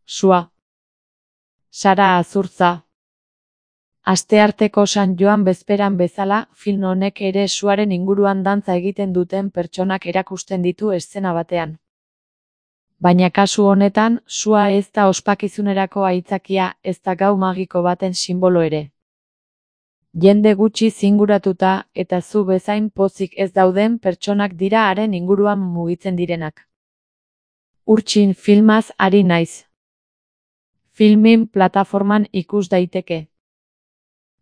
Sua. Sara Azurtza. Astearteko San Joan bezperan bezala, film honek ere suaren inguruan dantza egiten duten pertsonak erakusten ditu eszena batean. Baina kasu honetan, sua ez da ospakizunerako aitzakia, ez da gau magiko baten sinbolo ere. Jende gutxi zinguratuta eta zu bezain pozik ez dauden pertsonak dira haren inguruan mugitzen direnak. Urtsin filmaz ari naiz. Filmin plataforman ikus daiteke.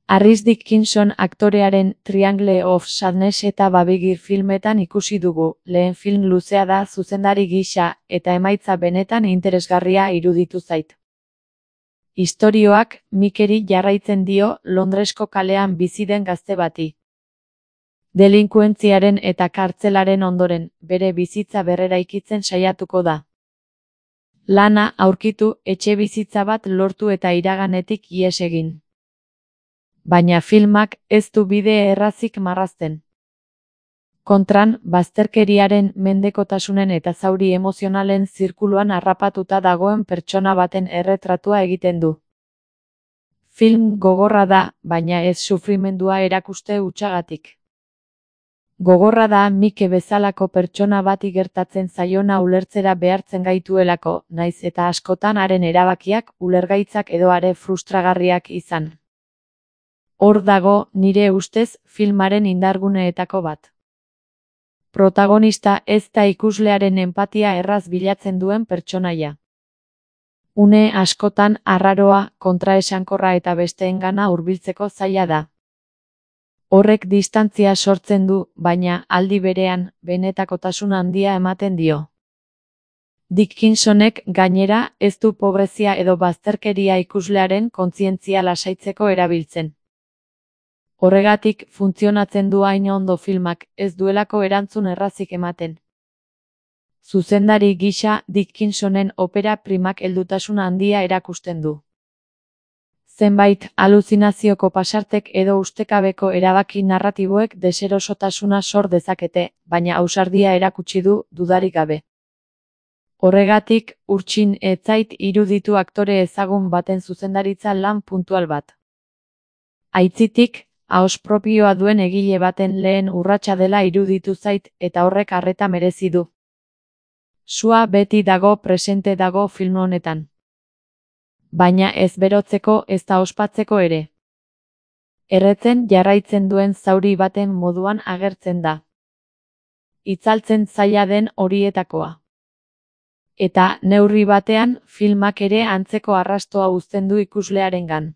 Harris Dickinson aktorearen Triangle of Sadness eta Babigir filmetan ikusi dugu, lehen film luzea da zuzendari gisa, eta emaitza benetan interesgarria iruditu zait. Istorioak Mikeri jarraitzen dio Londresko kalean bizi den gazte bati. Delinkuentziaren eta kartzelaren ondoren, bere bizitza berreraikitzen saiatuko da. Lana aurkitu, etxebizitza bat lortu eta iraganetik ihes egin. Baina filmak ez du bide errazik marrazten. Kontran, bazterkeriaren, mendekotasunen eta zauri emozionalen zirkuluan harrapatuta dagoen pertsona baten erretratua egiten du. Film gogorra da, baina ez sufrimendua erakuste hutsagatik. Gogorra da Mike bezalako pertsona bati gertatzen zaiona ulertzera behartzen gaituelako, naiz eta askotan haren erabakiak, ulergaitzak edo are frustragarriak izan. Hor dago, nire ustez, filmaren indarguneetako bat. Protagonista ez da ikuslearen enpatia erraz bilatzen duen pertsonaia. Une askotan arraroa, kontraesankorra eta besteengana hurbiltzeko zaila da. Horrek distantzia sortzen du, baina aldi berean, benetakotasun handia ematen dio. Dickinsonek gainera ez du pobrezia edo bazterkeria ikuslearen kontzientzia lasaitzeko erabiltzen. Horregatik funtzionatzen du hain ondo filmak, ez duelako erantzun errazik ematen. Zuzendari gisa Dickinsonen opera primak heldutasun handia erakusten du. Zenbait aluzinazioko pasartek edo ustekabeko erabaki narratiboek deserosotasuna sor dezakete, baina ausardia erakutsi du, dudarik gabe. Horregatik, Urtsin ez zait iruditu aktore ezagun baten zuzendaritza lan puntual bat. Aitzitik, ahoz propioa duen egile baten lehen urratsa dela iruditu zait eta horrek arreta merezi du. Sua beti dago presente dago film honetan. Baina ez berotzeko ez da ospatzeko ere. Erretzen jarraitzen duen zauri baten moduan agertzen da. Itzaltzen zaila den horietakoa. Eta neurri batean filmak ere antzeko arrastoa uzten du ikuslearengan.